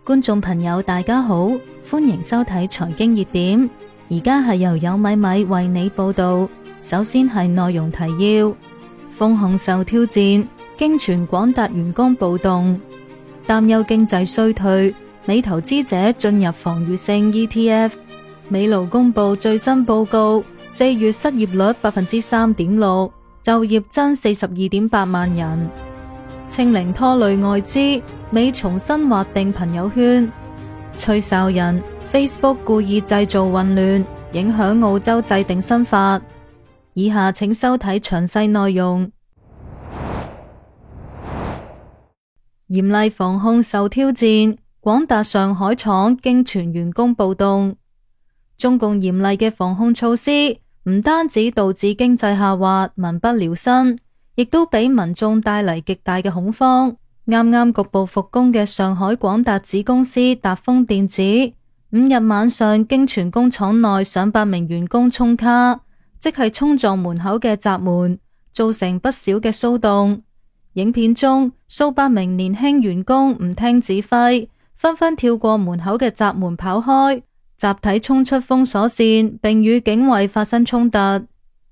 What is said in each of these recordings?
觀眾朋友大家好，歡迎收睇財經熱點。而家係由有米米為你報道。首先係內容提要：豐控受挑戰，經傳廣達員工暴動，擔憂經濟衰退，美投資者進入防禦性 ETF。美勞公布最新報告，4月失業率 3.6%， 就業增42.8萬人。清零拖累外資，美重新劃定朋友圈。吹哨人 Facebook 故意製造混亂，影響澳洲制定新法。以下請收睇詳細內容。嚴厲防控受挑戰，廣達上海廠經傳員工暴動。中共嚴厲嘅防控措施唔單止導致經濟下滑，民不聊生，亦都俾民眾帶嚟極大嘅恐慌。啱啱局部復工嘅上海廣達子公司達豐電子，5日晚上經傳工廠內上百名員工衝卡，即係衝撞門口嘅閘門，造成不少嘅騷動。影片中數百名年輕員工唔聽指揮，紛紛跳過門口嘅閘門跑開，集體衝出封鎖線，並與警衛發生衝突。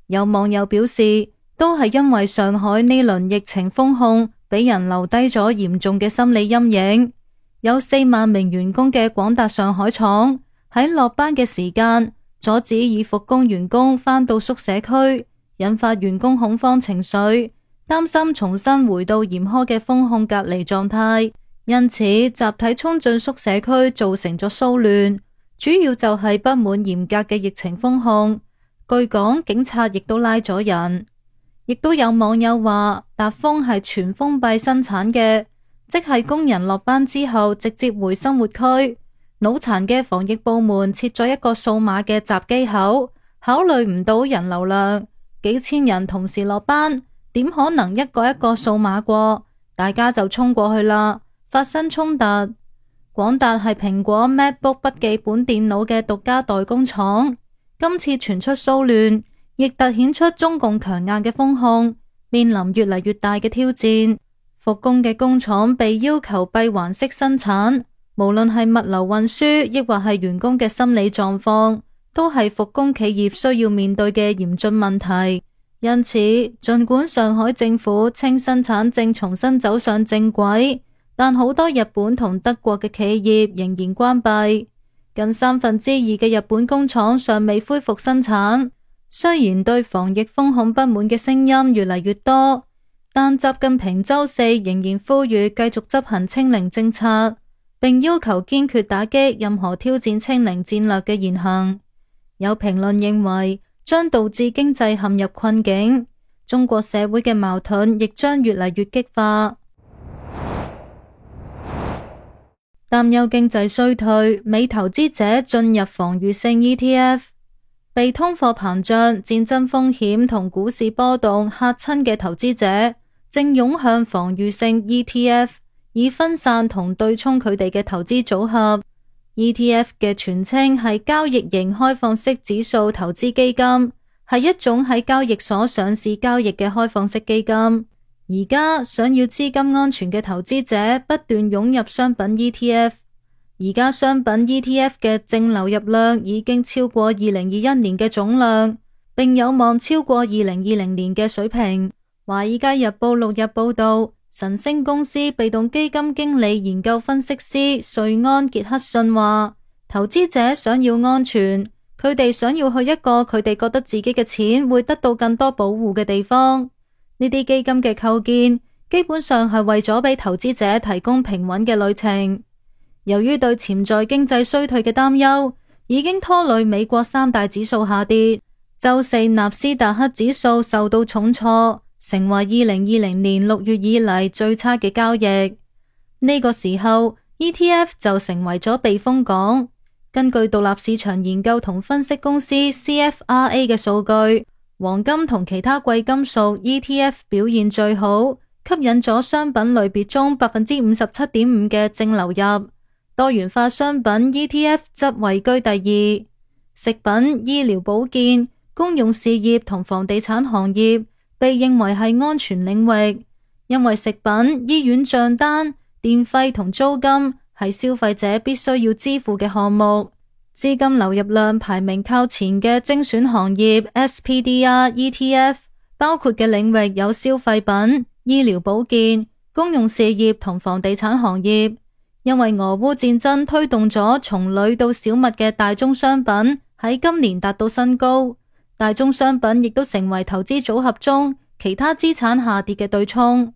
有網友表示，都係因為上海呢輪疫情封控，俾人留低咗嚴重嘅心理陰影。有4萬名員工嘅廣達上海廠喺落班嘅時間，阻止已復工員工返到宿舍區，引發員工恐慌情緒，擔心重新回到嚴苛嘅封控隔離狀態，因此集體衝進宿舍區造成咗騷亂，主要就係不滿嚴格嘅疫情封控。據講，警察亦都拉咗人。亦都有網友話，達豐係全封閉生產嘅，即係工人落班之後直接回生活區。腦殘嘅防疫部門設咗一個數碼嘅閘機口，考慮唔到人流量，幾千人同時落班，點可能一個一個數碼過？大家就衝過去啦，發生衝突。廣達係蘋果 MacBook 筆記本電腦嘅獨家代工廠，今次傳出騷亂，亦凸顯出中共強硬嘅封控，面臨越嚟越大嘅挑戰。復工嘅工廠被要求閉環式生產，無論係物流運輸，亦或係員工嘅心理狀況，都係復工企業需要面對嘅嚴峻問題。因此，儘管上海政府稱生產正重新走上正軌，但好多日本同德國嘅企業仍然關閉，近2/3嘅日本工廠尚未恢復生產。雖然對防疫封控不滿嘅聲音越嚟越多，但習近平週4仍然呼籲繼續執行清零政策，並要求堅決打擊任何挑戰清零戰略嘅言行。有評論認為，將導致經濟陷入困境，中國社會嘅矛盾亦將越嚟越激化。擔憂經濟衰退，美投資者進入防禦性 ETF。被通貨膨脹、戰爭風險同股市波動嚇親嘅投資者，正湧向防禦性 ETF， 以分散同對沖佢哋嘅投資組合。ETF 嘅全稱係交易型開放式指數投資基金，係一種喺交易所上市交易嘅開放式基金。而家想要資金安全嘅投資者不斷湧入商品 ETF。而家商品 ETF 嘅淨流入量已經超過2021年嘅總量，並有望超過2020年嘅水平。華爾街日報6日報道，晨星公司被動基金經理研究分析師瑞安傑克遜話，投資者想要安全，佢哋想要去一個佢哋覺得自己嘅錢會得到更多保護嘅地方。呢啲基金嘅構建基本上係為咗俾投資者提供平穩嘅旅程。由於對潛在經濟衰退嘅擔憂，已經拖累美國3大指數下跌。週4納斯達克指數受到重挫，成為2020年6月以嚟最差嘅交易。呢個時候 ETF 就成為咗避風港。根據獨立市場研究同分析公司 CFRA 嘅數據，黃金同其他貴金屬 ETF 表現最好，吸引咗商品類別中 57.5% 嘅淨流入。多元化商品 ETF 則位居第2，食品、醫療保健、公用事業同房地產行業被認為係安全領域，因為食品、醫院賬單、電費同租金係消費者必須要支付嘅項目。資金流入量排名靠前嘅精選行業 SPDR ETF 包括嘅領域有消費品、醫療保健、公用事業同房地產行業。因為俄烏戰爭推動咗從鋁到小麥嘅大宗商品喺今年達到新高，大宗商品亦都成為投資組合中其他資產下跌嘅對沖。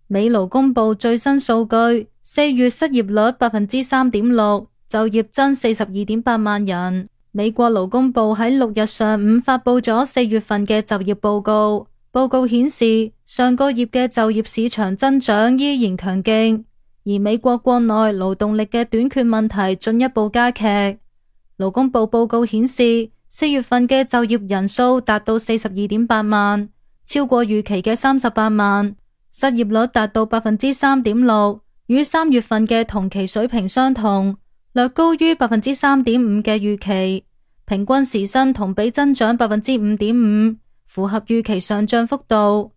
美勞公布最新數據，4月失業率 3.6%， 就業增 42.8 萬人。美國勞工部喺6日上午發布咗4月份嘅就業報告，報告顯示上個月嘅就業市場增長依然強勁，而美國國內勞動力嘅短缺問題進一步加劇。勞工部報告顯示，4月份嘅就業人數達到 42.8 萬，超過預期嘅38萬。失業率達到 3.6%， 與3月份嘅同期水平相同，略高於 3.5% 嘅預期。平均時薪同比增長 5.5%， 符合預期上漲幅度。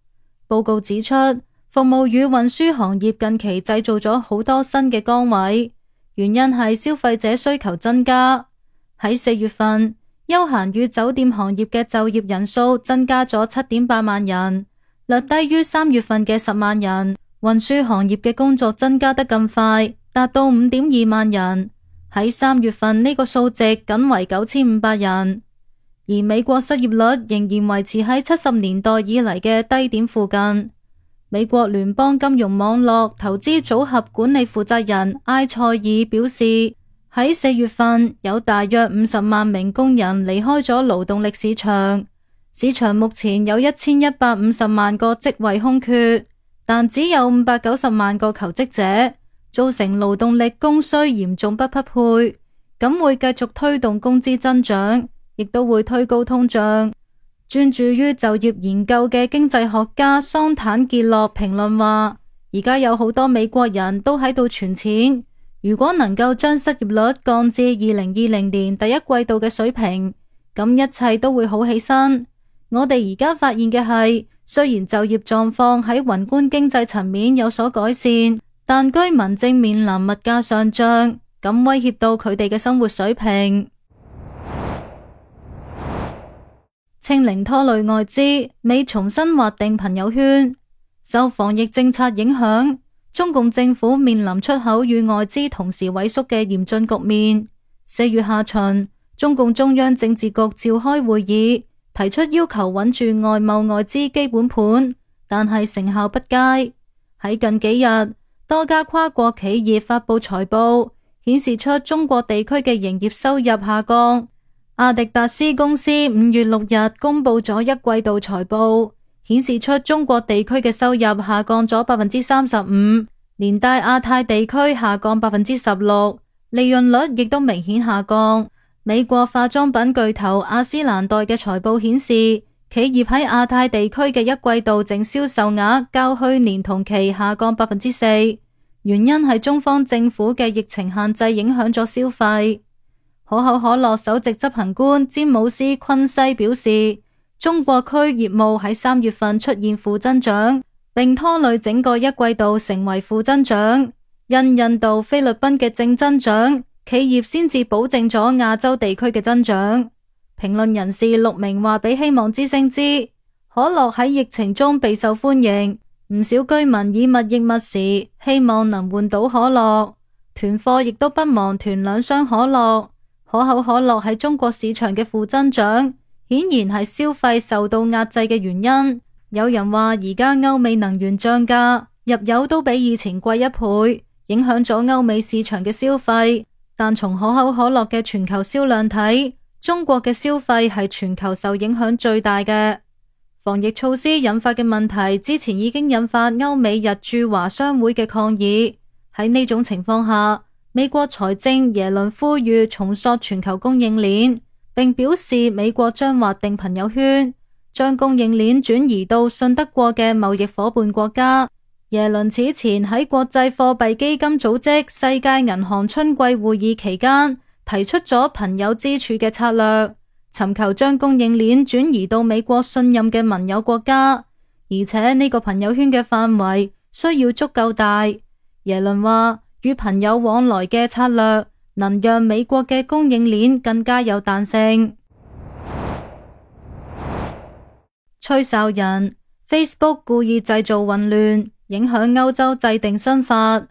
報告指出，服務與運輸行業近期製造咗好多新嘅崗位，原因係消費者需求增加。喺4月份，休閒與酒店行業嘅就業人數增加咗 7.8 萬人，略低於3月份嘅10萬人。運輸行業嘅工作增加得更快，達到 5.2 萬人。喺3月份呢個數值僅為9500人，而美國失業率仍然維持喺70年代以嚟嘅低點附近。美國聯邦金融網絡投資組合管理負責人埃塞爾表示，喺4月份有大約50萬名工人離開咗勞動力市場。市場目前有1150萬個職位空缺，但只有590萬個求職者，造成勞動力供需嚴重不匹配，咁會繼續推動工資增長，亦都會推高通脹。專注於就業研究嘅經濟學家桑坦傑洛評論話，而家有好多美國人都喺度存錢，如果能夠將失業率降至2020年第一季度嘅水平，咁一切都會好起身。我哋而家發現嘅係，雖然就業狀況喺宏觀經濟層面有所改善，但居民正面臨物價上漲，咁威脅到佢哋嘅生活水平。清零拖累外資，美重新劃定朋友圈。受防疫政策影響，中共政府面臨出口與外資同時萎縮嘅嚴峻局面。4月下旬，中共中央政治局召開會議，提出要求穩住外貿外資基本盤，但係成效不佳。喺近幾日，多家跨國企業發佈財報，顯示出中國地區嘅營業收入下降。阿迪達斯公司5月6日公布咗一季度財報，顯示出中國地區嘅收入下降咗 35%， 連帶亞太地區下降 16%， 利潤率亦都明顯下降。美國化妝品巨頭雅詩蘭黛嘅財報顯示，企業喺亞太地區嘅一季度淨銷售額較去年同期下降 4%， 原因係中方政府嘅疫情限制影響咗消費。可口可樂首席執行官詹姆斯昆西表示，中國區業務喺3月份出現負增長，並拖累整個一季度成為負增長。因印度、菲律賓嘅正增長，企業先至保證咗亞洲地區嘅增長。評論人士陸明話俾希望之聲知，可樂喺疫情中備受歡迎，唔少居民以物易物時，希望能換到可樂，囤貨亦都不忘囤2箱可樂。可口可樂喺中國市場嘅負增長，顯然係消費受到壓制嘅原因。有人話而家歐美能源漲價，入油都比以前貴1倍，影響咗歐美市場嘅消費。但從可口可樂嘅全球銷量睇，中國嘅消費係全球受影響最大嘅。防疫措施引發嘅問題，之前已經引發歐美日駐華商會嘅抗議。喺呢種情況下，美國財政耶倫呼籲重塑全球供應鏈，並表示美國將劃定朋友圈，將供應鏈轉移到信得過嘅貿易夥伴國家。耶倫此前喺國際貨幣基金組織世界銀行春季會議期間提出咗朋友之柱嘅策略，尋求將供應鏈轉移到美國信任嘅盟友國家，而且呢個朋友圈嘅範圍需要足夠大。耶倫話，與朋友往來嘅策略能讓美國嘅供應鏈更加有彈性。吹哨人 Facebook 故意製造混亂，影響歐洲制定新法。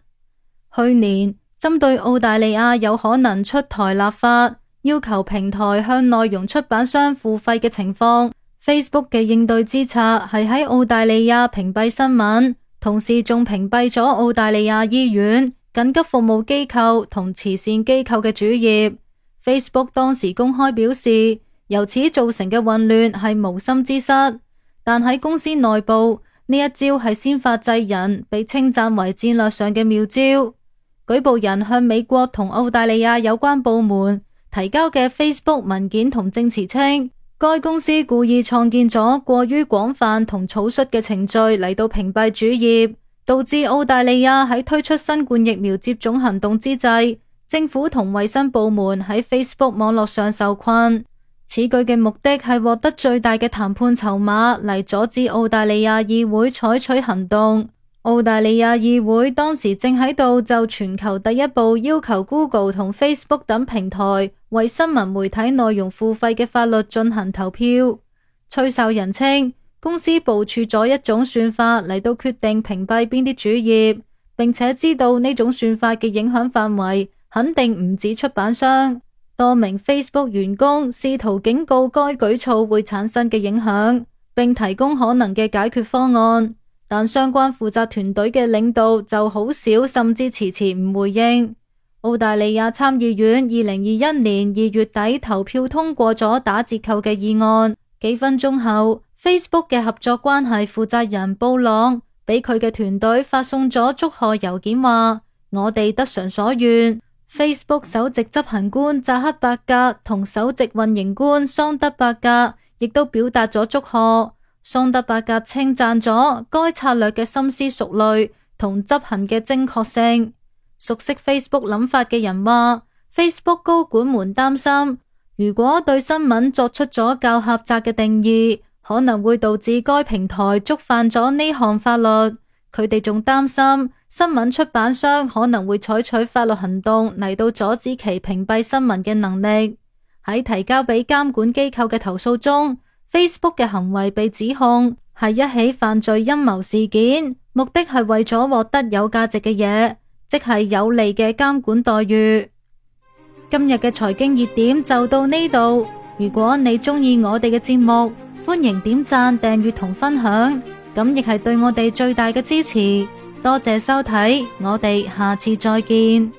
去年針對澳大利亞有可能出台立法，要求平台向內容出版商付費嘅情況， Facebook 嘅應對之策係喺澳大利亞屏蔽新聞，同時仲屏蔽咗澳大利亞醫院、緊急服務機構同慈善機構嘅主頁。 Facebook 當時公開表示，由此造成嘅混亂係無心之失，但喺公司內部，呢一招係先發制人，被稱讚為戰略上嘅妙招。舉報人向美國同澳大利亞有關部門提交嘅 Facebook 文件同證詞稱，該公司故意創建咗過於廣泛同草率嘅程序嚟到屏蔽主頁，導致澳大利亞喺推出新冠疫苗接種行動之際，政府同衛生部門喺 Facebook 網絡上受困。此舉嘅目的係獲得最大嘅談判籌碼嚟阻止澳大利亞議會採取行動。澳大利亞議會當時正喺度就全球第一部要求 Google 同 Facebook 等平台為新聞媒體內容付費嘅法律進行投票。吹哨人稱，公司部署咗一種算法嚟到決定屏蔽邊啲主頁，並且知道呢種算法嘅影響範圍肯定唔止出版商。多名 Facebook 員工試圖警告該舉措會產生嘅影響，並提供可能嘅解決方案，但相關負責團隊嘅領導就好少甚至遲遲唔回應。澳大利亞參議院2021年2月底投票通過咗打折扣嘅議案，幾分鐘後 Facebook 嘅合作關係負責人布朗俾佢嘅團隊發送咗祝賀郵件，話我哋得償所願。Facebook 首席執行官扎克伯格同首席運營官桑德伯格亦都表達咗祝賀。桑德伯格稱讚咗該策略嘅深思熟慮同執行嘅精確性。熟悉 Facebook 諗法嘅人話， Facebook 高管們擔心，如果對新聞作出咗較狹窄嘅定義，可能會導致該平台觸犯咗呢項法律。佢哋仲擔心新聞出版商可能會採取法律行動嚟到阻止其屏蔽新聞嘅能力。喺提交俾監管機構嘅投訴中， Facebook 嘅行為被指控係一起犯罪陰謀事件，目的係為咗獲得有價值嘅嘢，即係有利嘅監管待遇。今日嘅財經熱點就到呢度。如果你鍾意我哋嘅節目，歡迎點讚、訂閱同分享，咁亦係對我哋最大嘅支持。多謝收睇，我哋下次再見。